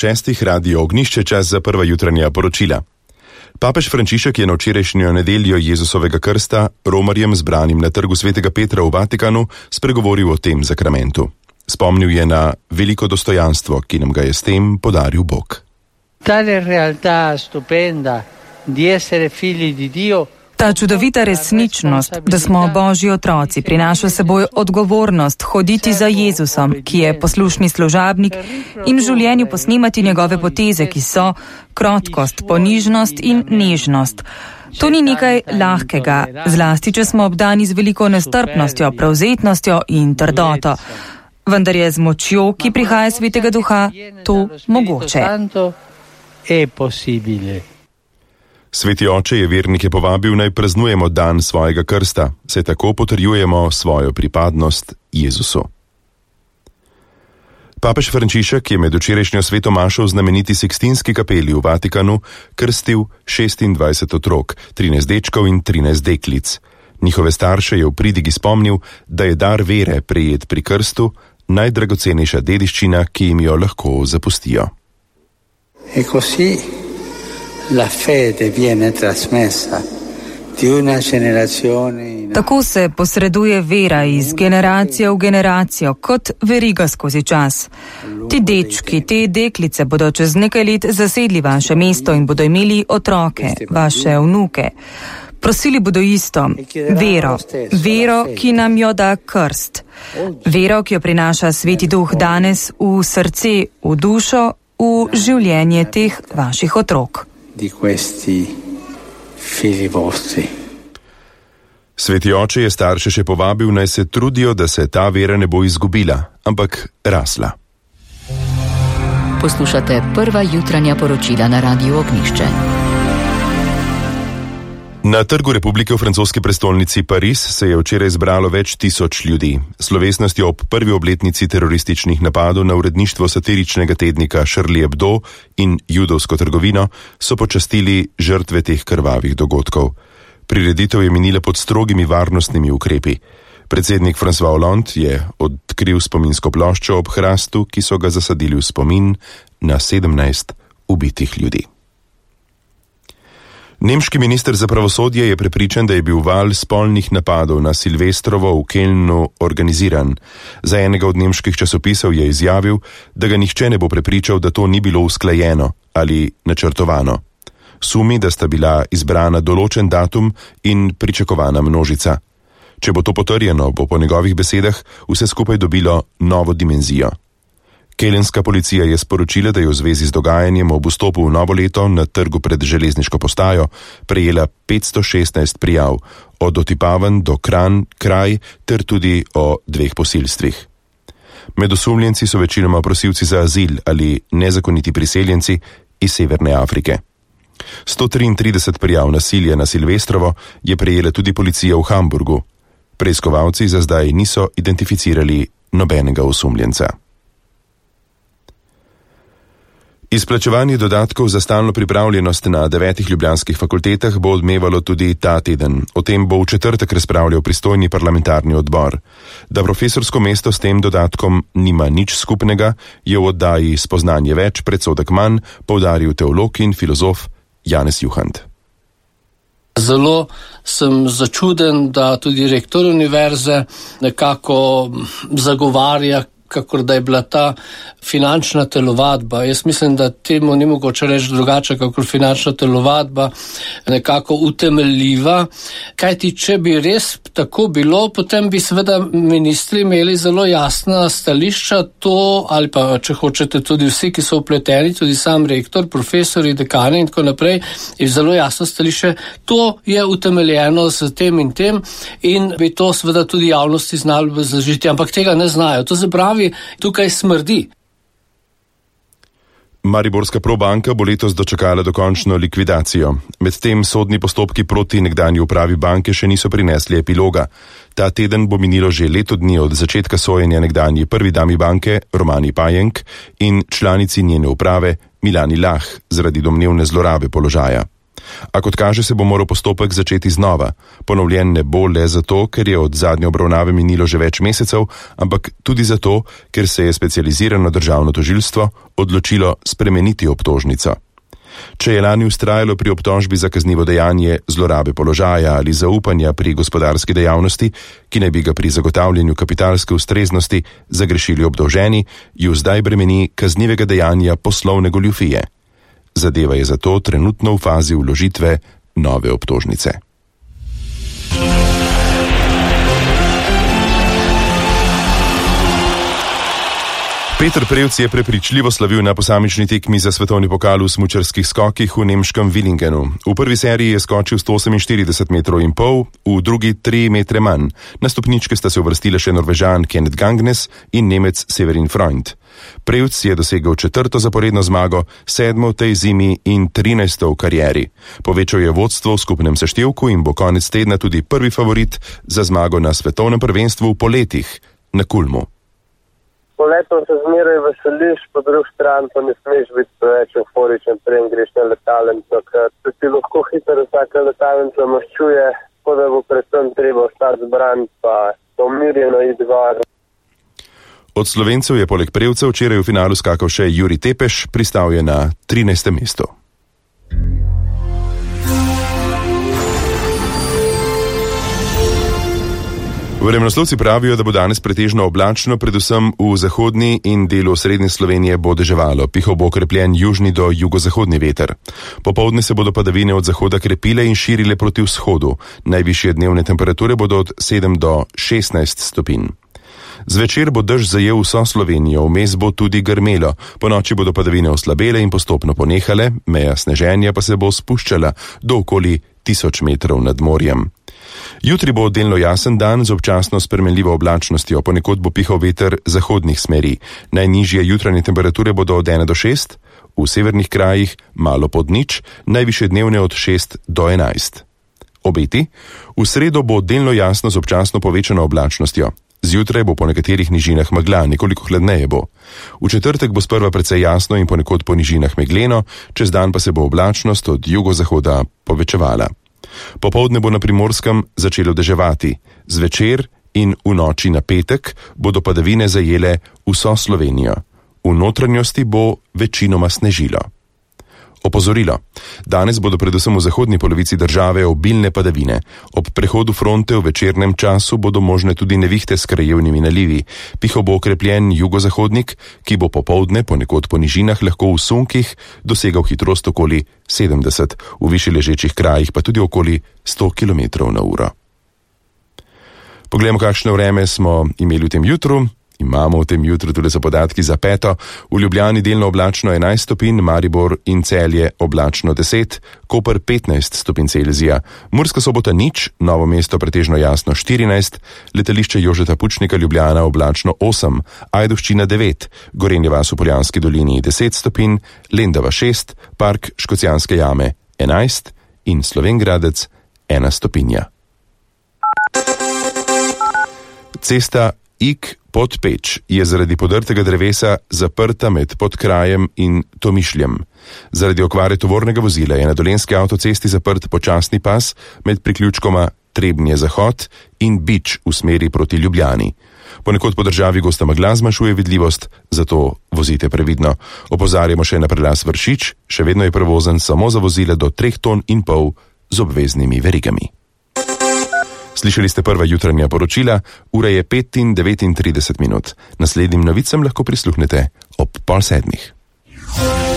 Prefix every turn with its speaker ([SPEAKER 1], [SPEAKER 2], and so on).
[SPEAKER 1] 6. Radio Ognišče, čas za prva jutranja poročila. Papež Frančišek je na včerajšnjo nedeljo Jezusovega krsta romarjem zbranim na trgu Svetega Petra v Vatikanu spregovoril o tem zakramentu. Spomnil je na veliko dostojanstvo, ki nam ga je s tem podaril Bog.
[SPEAKER 2] Tale realtà stupenda di essere figli di Dio.
[SPEAKER 3] Ta čudovita resničnost, da smo Božji otroci, prinaša seboj odgovornost hoditi za Jezusom, ki je poslušni služabnik, in v življenju posnemati njegove poteze, ki so krotkost, ponižnost in nežnost. To ni nekaj lahkega, zlasti če smo obdani z veliko nestrpnostjo, prevzetnostjo in trdoto. Vendar je z močjo, ki prihaja iz Svetega Duha, to mogoče.
[SPEAKER 1] Sveti oče je vernike povabil, naj praznujemo dan svojega krsta, saj tako potrjujemo svojo pripadnost Jezusu. Papež Frančišek je med včerajšnjo sveto mašo v znameniti Sikstinski kapeli v Vatikanu krstil 26 otrok, 13 dečkov in 13 deklic. Njihove starše je v pridigi spomnil, da je dar vere prejet pri krstu najdragocenejša dediščina, ki jim jo lahko zapustijo.
[SPEAKER 2] La fede viene trasmessa di una generazione.
[SPEAKER 3] Tako se posreduje vera iz generacije v generacijo, kot veriga skozi čas. Ti dečki, te deklice bodo čez nekaj let zasedli vaše mesto in bodo imeli otroke, vaše vnuke. Prosili bodo isto, vero, ki nam jo da krst. Vero, ki jo prinaša Sveti Duh danes v srce, v dušo, v življenje teh vaših otrok.
[SPEAKER 2] Di questi figli vostri.
[SPEAKER 1] Sveti oče je starše še povabil, naj se trudijo, da se ta vera ne bo izgubila, ampak rasla.
[SPEAKER 4] Poslušate prva jutranja poročila na Radiu Ognišče.
[SPEAKER 1] Na Trgu Republike v francoski prestolnici Pariz se je včeraj zbralo več tisoč ljudi. Slovesnostjo ob prvi obletnici terorističnih napadov na uredništvo satiričnega tednika Charlie Hebdo in judovsko trgovino so počastili žrtve teh krvavih dogodkov. Prireditev je minila pod strogimi varnostnimi ukrepi. Predsednik François Hollande je odkril spominsko ploščo ob hrastu, ki so ga zasadili v spomin na 17 ubitih ljudi. Nemški minister za pravosodje je prepričan, da je bil val spolnih napadov na Silvestrovo v Kelnu organiziran. Za enega od nemških časopisov je izjavil, da ga nihče ne bo prepričal, da to ni bilo usklajeno ali načrtovano. Sumi, da sta bila izbrana določen datum in pričakovana množica. Če bo to potrjeno, bo po njegovih besedah vse skupaj dobilo novo dimenzijo. Kelenska policija je sporočila, da je v zvezi z dogajanjem ob vstopu v novo leto na trgu pred železniško postajo prejela 516 prijav, od otipavanj do kraj ter tudi o 2 posilstvih. Med osumljenci so večinoma prosilci za azil ali nezakoniti priseljenci iz Severne Afrike. 133 prijav nasilja na Silvestrovo je prejela tudi policija v Hamburgu. Preiskovalci za zdaj niso identificirali nobenega osumljenca. Izplačevanje dodatkov za stalno pripravljenost na 9 ljubljanskih fakultetah bo odmevalo tudi ta teden. O tem bo v četrtek razpravljal pristojni parlamentarni odbor. Da profesorsko mesto s tem dodatkom nima nič skupnega, je v oddaji Spoznanje več, predsodek manj poudaril teolog in filozof Janez Juhant.
[SPEAKER 5] Zelo sem začuden, da tudi rektor univerze nekako zagovarja, kakor da je bila ta finančna telovadba. Jaz mislim, da temu ni mogoče reči drugače, kakor finančna telovadba nekako utemeljiva. Kajti, če bi res tako bilo, potem bi seveda ministri imeli zelo jasna stališča, to, ali pa, če hočete, tudi vsi, ki so vpleteni, tudi sam rektor, profesori, dekani in tako naprej, je zelo jasno stališče, to je utemeljeno z tem in bi to seveda tudi javnosti znali zažiti, ampak tega ne znajo. To se pravi, tukaj smrdi.
[SPEAKER 1] Mariborska Probanka bo letos dočakala dokončno likvidacijo. Medtem sodni postopki proti nekdanji upravi banke še niso prinesli epiloga. Ta teden bo minilo že leto dni od začetka sojenja nekdanji prvi dami banke Romani Pajenk in članici njene uprave Milani Lah zaradi domnevne zlorabe položaja. A kot kaže, se bo moral postopek začeti znova. Ponovljen ne bo le zato, ker je od zadnje obravnave minilo že več mesecev, ampak tudi zato, ker se je specializirano državno tožilstvo odločilo spremeniti obtožnico. Če je lani vztrajalo pri obtožbi za kaznivo dejanje zlorabe položaja ali zaupanja pri gospodarski dejavnosti, ki naj bi ga pri zagotavljanju kapitalske ustreznosti zagrešili obdolženi, ju zdaj bremeni kaznivega dejanja poslovne goljufije. Zadeva je zato trenutno v fazi vložitve nove obtožnice. Peter Prevc je prepričljivo slavil na posamični tekmi za svetovni pokal v smučarskih skokih v nemškem Willingenu. V prvi seriji je skočil 148,5 metrov, v drugi 3 metre manj. Na stopničke sta se uvrstile še Norvežan Kenneth Gangnes in Nemec Severin Freund. Prevc je dosegel 4. zaporedno zmago, 7. v tej zimi in 13. v karieri. Povečal je vodstvo v skupnem seštevku in bo konec tedna tudi prvi favorit za zmago na svetovnem prvenstvu v poletih na Kulmu.
[SPEAKER 6] Poletom se zmeraj veseliš, po drugi strani pa ne smeš biti preveč euforičen, preden greš na letalnico, ker ti lahko hitro vsaka letalnica maščuje, tako da bo predvsem treba ostati zbran pa umirjeno iti gor.
[SPEAKER 1] Od Slovencev je poleg Prevca včeraj v finalu skakal še Jurij Tepeš, pristal je na 13. mestu. Vremenoslovci pravijo, da bo danes pretežno oblačno, predvsem v zahodni in delu srednje Slovenije bo deževalo, pihal bo okrepljen južni do jugozahodni veter. Popoldne se bodo padavine od zahoda krepile in širile proti vzhodu. Najvišje dnevne temperature bodo od 7 do 16 stopinj. Zvečer bo dež zajel vso Slovenijo, vmes bo tudi grmelo, ponoči bodo padavine oslabele in postopno ponehale, meja sneženja pa se bo spuščala do okoli 1000 metrov nad morjem. Jutri bo delno jasen dan z občasno spremenljivo oblačnostjo, ponekod bo pihal veter zahodnih smeri. Najnižje jutranje temperature bodo od 1 do 6, v severnih krajih malo pod nič, najvišje dnevne od 6 do 11. Obeti? V sredo bo delno jasno z občasno povečano oblačnostjo. Zjutraj bo po nekaterih nižinah megla, nekoliko hladneje bo. V četrtek bo sprva precej jasno in ponekod po nižinah megleno, čez dan pa se bo oblačnost od jugozahoda povečevala. Popoldne bo na Primorskem začelo deževati. Zvečer in v noči na petek bodo padavine zajele vso Slovenijo. V notranjosti bo večinoma snežilo. Opozorilo. Danes bodo predvsem v zahodni polovici države obilne padavine. Ob prehodu fronte v večernem času bodo možne tudi nevihte s krajevnimi nalivi. Pihal bo okrepljen jugozahodnik, ki bo popoldne ponekod po nižinah lahko v sunkih dosegal hitrost okoli 70, v višje ležečih krajih pa tudi okoli 100 km/h. Poglejmo, kakšno vreme smo imeli v tem jutru. Imamo v tem jutru tudi so podatki za peto. V Ljubljani delno oblačno 11 stopinj, Maribor in Celje oblačno 10, Koper 15 stopinj Celzija, Murska Sobota nič, Novo mesto pretežno jasno 14, letališče Jožeta Pučnika Ljubljana oblačno 8, Ajdovščina 9, Gorenja vas v Poljanski dolini 10 stopinj, Lendava 6, Park Škocjanske jame 11 in Slovenj Gradec 1 stopinja. Cesta Ig-Podpeč je zaradi podrtega drevesa zaprta med Podkrajem in Tomišljem. Zaradi okvare tovornega vozila je na Dolenjski avtocesti zaprt počasni pas med priključkoma Trebnje-Zahod in Bič v smeri proti Ljubljani. Ponekod po državi gosta megla zmanjšuje vidljivost, zato vozite previdno. Opozarjamo še na prelaz Vršič, še vedno je prevozen samo za vozile do 3,5 ton z obveznimi verigami. Slišali ste prva jutranja poročila, ura je 5:39. Naslednjim novicam lahko prisluhnete ob 6:30.